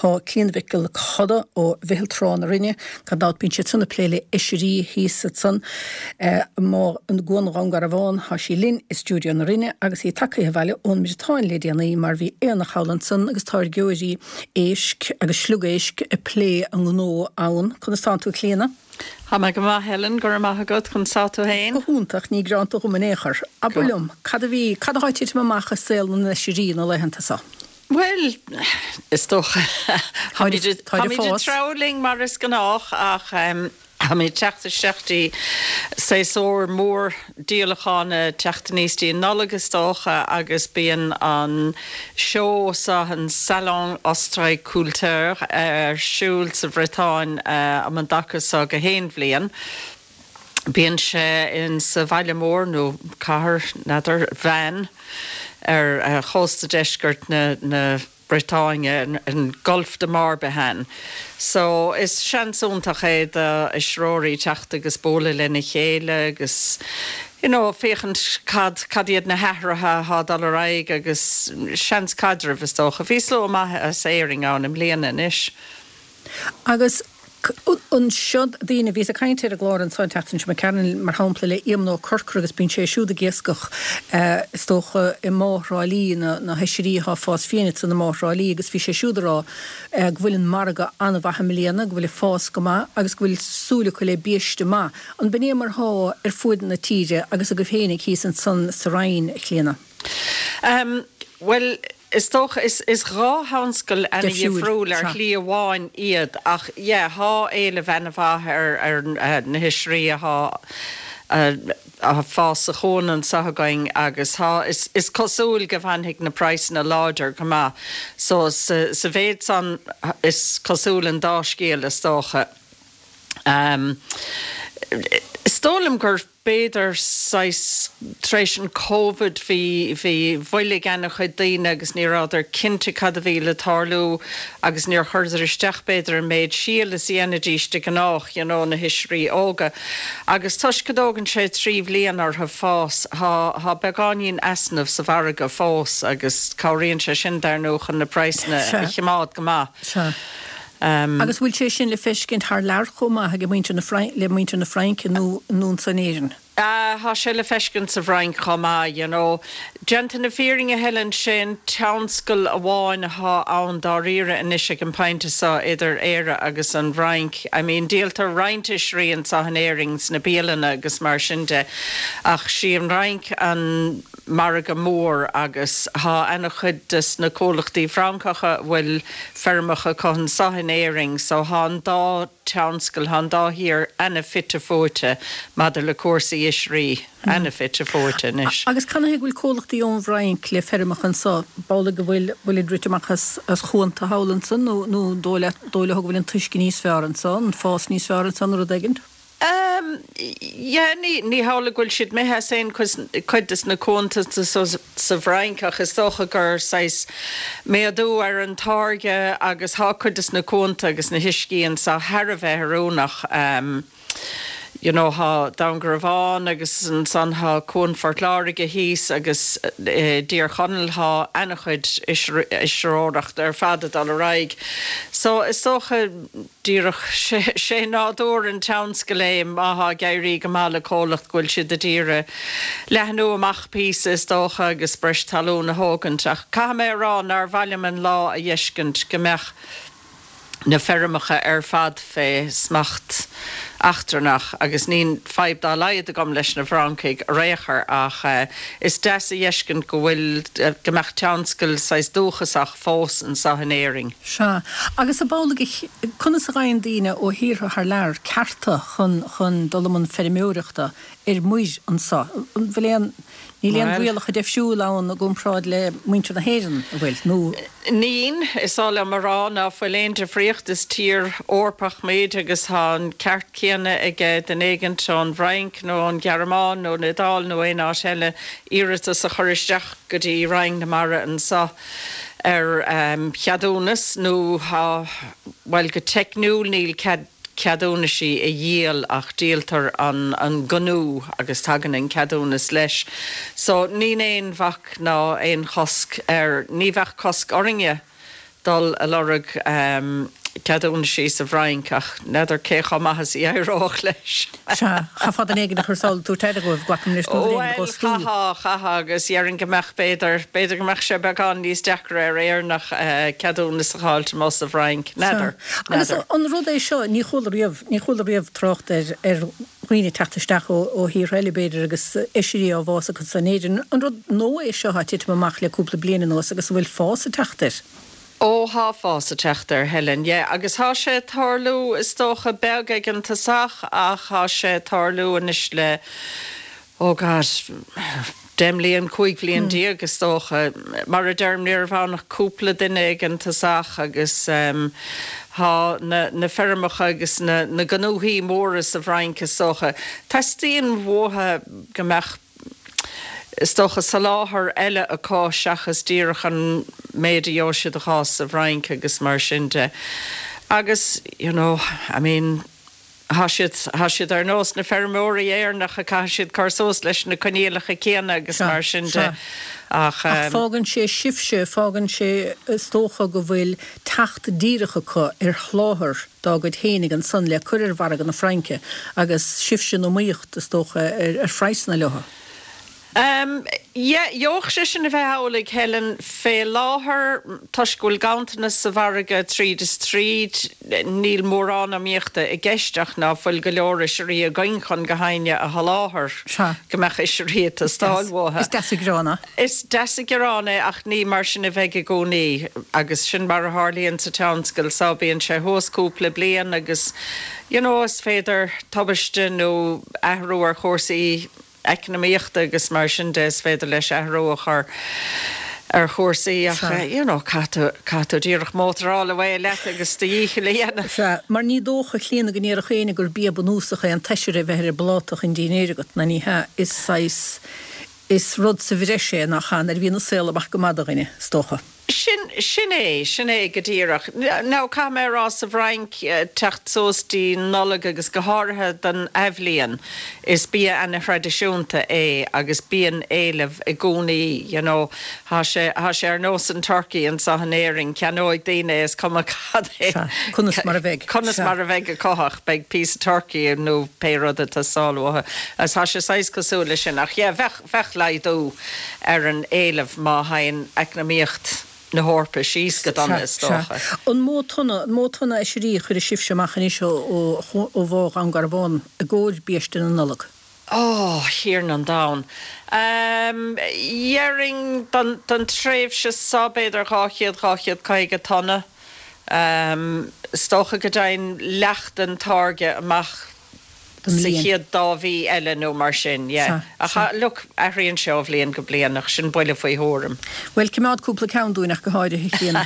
Thá Clíona Mhic Giolla Coda ó Mheitheal Trá na Rinne, gan dabht bíonn siad san ag plé le hoisrí thíos ansan i gCuan Dhún Garbhán. Thá sí linn i stiúideo na Rinne agus í tagtha abhaile ón mBriotáin le déanaí mar bhí aonach thall ansan agus táirgeoirí éisc agus sliogéisc ag plé a ngnó ann. Conas tánn tú a Chlíona? Tá mé go maith Helen, go raibh maith agat, conas tá tú féin? Go hiontach, ní gearánta dhom in aon chor. Abair liom, cad a bhí, cad athá ag titim amach i saol na n-oisrí na laethanta so? Bhuel, is dócha, táimid ag treabhadh linn mar is gnách ach táimid ag teacht isteach dtí séasúr mór díolacháin, ag teacht aníos dtí an Nollaig is dócha agus bíonn an seó seo, an Salon Ostréiculteur, ar siúl sa Bhriotáin um an dtaca seo gach aon bhliain. Bíonn sé in sa bhaile mór, nó cathair, n'fheadar, Vannes, ar chósta deiscirt na Briotáine, an Golfe de Morbihan. So, is seans iontach é do oisreoirí teacht agus bualadh lena chéile agus you know féachaint cad, cad iad na hathruithe athá ag dul ar aghaidh agus seans caidrimh is dócha. Bhí slua maith as Éirinn ann i mbliana anois. Agus anseo daoine, bhíos ag caint ar an gclár anso an tseachtain seo imigh tharainn, mar shampla, le Éamonn Ó Corcora agus bíonn sé siúd ag iascach, is dócha, i mBá Thrá Lí, na hoisrí atá ag fás fiáin ansan i mBá Thrá Lí agus bhí sé siúd ag rá go bhfuil an margadh an-mhaith i mbliana, go bhfuil ag fás go maith agus go bhfuil súil acu le biaiste maith. An b'in é mar thá ar fuaid na tíre agus agaibh féinig thíos ansan sa Rinn, a Chlíona? Bhuel, Is dócha, is dha thionscal ana-dhifriúil ar shlí amháin iad ach yeah, thá éileamh ana-mhaith ar na hoisrí athá a' fás sa chuan anso againn agus thá, is cosúil go bhfanfaidh na praghsanna láidir go maith. So sa mhéid san is cosúil an dá scéal is dócha. Is dóigh liom gur. b'fhéidir saghas tar éis an Covid bhí bhí mhoilligh ana-chuid daoine agus ní rabhadar cinnte cad a bhí le tarlú agus níor chuireadar isteach b'fhéidir an méid síl is a dhéanfaidís de gnách you know na hoisrí óga agus toisc go dtógann sé 3 bhliain orthu fás thá thá beagáinín easnamh sa mhargadh fós agus cabhraíonn sé sin dar ndóigh chun na praghsanna a chimeád go maith. Sea. Agus bhfuil sé sin le feiscint thar lear chomh maith ag muintir na le muintir na Fraince nó nó anso in Éirinn? Ah, thá sé le feiscint sa bhFrainc chomh maith, you know. Déanta na fírinne, Helen, sé an tionscal amháin athá ann dáiríre anois ag an pointe seo idir Éire agus an bhFrainc. I mean, díoltar roinnt oisrí anso in Éirinn sna bialanna agus mar sin de, ach sí an Fhrainc an margadh mór agus thá ana-chuid des na comhlachtaí Francacha a bhfuil feirmeacha acu anso in Éirinn so thá an dá tionscal, thá an dá thír ana-fhite fuaite maidir le cúrsaí oisrí, ana-fhite fuaite anois. Agus canathaobh go bhfuil comhlachtaí ón bhFrainc le feirmeacha anso? B'amhlaidh go bhfuil, bhfuilid rite amach as, as chuanta thall ansan nó, nó an dóigh leat, dóigh leo go bhfuil an t-uisce níos fearr anso, an fás níos fearr anso nó rud éigint? Ehm, yeah, ní, ní hamhlaidh go bhfuil siad imithe as aon cuid des na cuanta sa bhFrainc ach is dócha gur saghas méadú ar an táirge agus thá cuid des na cuanta agus na huiscí anso thar a bheith oiriúnach. Ehm, you know, thá Dún Garbhán agus ansan thá Cuan Phort Láirge thíos agus i dTír Chonaill thá ana-chuid oisreoireachta ar fad ag dul ar aghaidh. So is dócha, Díreach, sé nádúr an tionscail é, má thá ag éirí go maith le comhlacht go bhfuil siad a d'iarraidh leathnú amach píosa is dócha agus breis talún a thógaint. Ach caithfidh mé a rá nár mhaith liom an lá a dh'fheiscint go mbeadh na feirmeacha ar fad fé smacht eachtrannach agus níl fadhb dá laghad agam leis na Francaigh ar aon chor ach is deas a dh'fheiscint go bhfuil, go mbeadh tionscal saghas dúchasach fós anso in Éirinn. Sea. Agus ab amhlaidh, conas a fhaigheann daoine ó thíortha thar lear cearta chun chun dul i mbun feirmeoireachta ar muir anso? An bhfuil aon, níl aon rialacha deifriúil ann i gcomparáid le muintir na hÉireann, an bhfuil? Nó. Níl, is oth liom a rá ná fuil aon difríocht, is tír Eorpach muid agus tá an ceart céanna ag duine éigint ón bhFrainc nó ón Ghearmáin nó an Iodáil nó aon áit eile iarratas a chur isteach go dtí Roinn na Mara anso. ar cheadúnas nó tá, bhuel go teicniúil níl cead ceadúnaisí a dhíol ach díoltar an an gnó agus tagann an ceadúnas leis. So níl aon bhac ná aon chosc air, ní bheadh cosc orainne. Dul a lorg ceadúnaisí sa bhFrainc ach n'fheadar cé chomh maith is a d'éireodh leis. Sea, chaithfeá duine éigin a chur sall ag tabhairt aire dhóibh, glacaim leis, nó duine éigin a Bhuel, dh'fhostú. chaithfeá, chaithfeá agus dhéarfainn go mbeadh, b'fhéidir, b'fhéidir go mbeadh sé beagán níos deacra ar Éireannach ceadúnas a dh'fháilt amuigh sa bhFrainc. Sea. N'fheadar, Agus n'fheadar. an rud é seo, ní chuala riamh, ní chuala riamh trácht ar, ar dhaoine ag teacht isteach ó, ó thíortha eile b'fhéidir agus oisrí á bhfás acu san Éirinn. An rud nua é seo atá ag titim amach le cúpla bliain anuas agus an bhfuil fás ag teacht air? Ó thá fás ag teacht air, Helen, yeah, agus thá sé ag tarlú, is dócha, beag ag an tosach ach thá sé ag tarlú anois le, oh God, 10 mbliain, 15 bhliain is dócha. Mar a deirim, ní raibh ann ach cúpla duine ag an tosach agus thá na, na feirmeacha agus na, na gnóthaí móra sa bhFrainc, is dócha, teastaíonn uathu go mbeadh, is dócha, soláthar eile acu seachas díreach an méid a gheobhaidh siad a dh'fhás sa bhFrainc agus mar sin de. Agus, you know, I mean, thá siad, thá siad ar nós na feirmeoirí Éireannacha, caithfidh siad cur suas leis na coinníollacha céanna agus Sea, mar sin de. sea. Ach. Ach fágann sé sibhse, fágann sé, is dócha, go bhfuil teacht díreach acu ar sholáthar dá gcuid fhéinig ansan le cur ar mhargadh na Fraince agus sibhse in iomaíocht, is dócha, ar phraghsanna leo. Yeah, gheobhadh sé sin a bheith amhlaidh, Helen. Fé láthair, toisc go bhfuil ganntanas sa mhargadh tríd is tríd, níl mórán iomaíochta i gceist ach ná fuil go leor oisrí againn chun gach éinne a sholáthar, go mbeadh oisrí ag teastáil uathu. Is deas an gearán é. Is deas an gearán é ach ní mar sin a bheidh i gcónaí agus sin mar a tharlaíonn sa tionscal so bíonn sé thuas cúpla bliain agus you know is féidir tubaiste nó athrú ar chúrsaí eacnamaíochta agus mar sin de is féidir leis athrú a chur ar chúrsaí ach you know caithfidh tú caithfidh tú díreach mótaráil away leat agus do dhícheall a dhéanamh. Sea, mar ní dócha, a Chlíona, go ndéarfadh éinne gur bia bunúsach é an t-oisir a bheith ar an bpláta chun dinnéir agat, ná ní hea, is saghas. Is rud sa bhreis é, nach ea, nuair a bhíonn an saol amach go maith do dhuine, is dócha. Sin, sin é, sin é go díreach. Now, caithfidh mé a rá, sa bhFrainc, teacht suas dtí Nollaig agus go háirithe don Athbhliain, is bia ana-thraidisiúnta é agus bíonn éileamh i gcónaí, you know. Thá sé, thá sé ar nós an turkey anso in Éirinn, ceannóidh daoine é, is cuma cad é, Sea, conas mar a bheidh. conas Sea. mar a bheidh acu ach beidh píosa turkey nó pé rud ag teastáil uathu. Agus tá sé saghas cosúil leis sin. Ach yeah, bheadh, bheadh laghdú ar an éileamh má théann eacnamaíocht na hEorpa síos go dona, Sea, is sea. dócha. An mó tonna, an mó tonna oisrí a chuirfidh sibhse amach anois ó, ó, ó Bhá Dhún Garbhán i gcomhair biaiste na Nollag? Ó, Thiarna an Domhain. Dhéarfainn don, don tréimhse so b'fhéidir 200, 250 tonna. Is dócha go dtéann leath den táirge amach Don sa bhliain. chéad dá mhí eile nó mar sin, yeah. Sea, Ach sea. look, athraíonn sé ó bhliain go bliain ach sin buille faoi thuairim. Bhuel, coimeád cúpla ceann dúinn ach go háirithe, a Chlíona.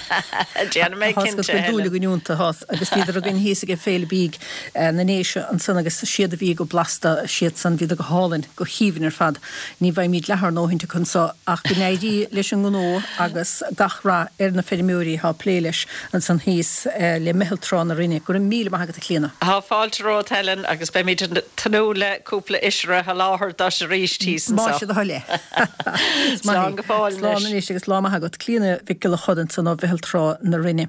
Déanfaidh mé Tá 's agat cinnte, go bhfuil dúil Helen. againn iontu, tá, agus bhíodar againn thíos ag Féile Bídh na nDéise ansan agus siad a bhí go blasta, siadsan, bhíodar go hálainn, go haoibhinn ar fad. Ní bhfaighimid leath ár ndóthaint acu anso ach go n-éirí leis an ngnó agus gach rath ar na feirmeoirí atá ag plé leis ansan thíos le Meitheal Trá na Rinne. Go raibh míle maith agat a Chlíona. Tá fáilte romhat Helen agus beimid ag tnúth le cúpla oisre a sholáthar duit arís thíos Más anso. é do thoil é. Slán go fóill Slán anois. anois agus lá maith agat. Clíona Mhic Giolla Chod ansan ó Mheitheal Trá na Rinne.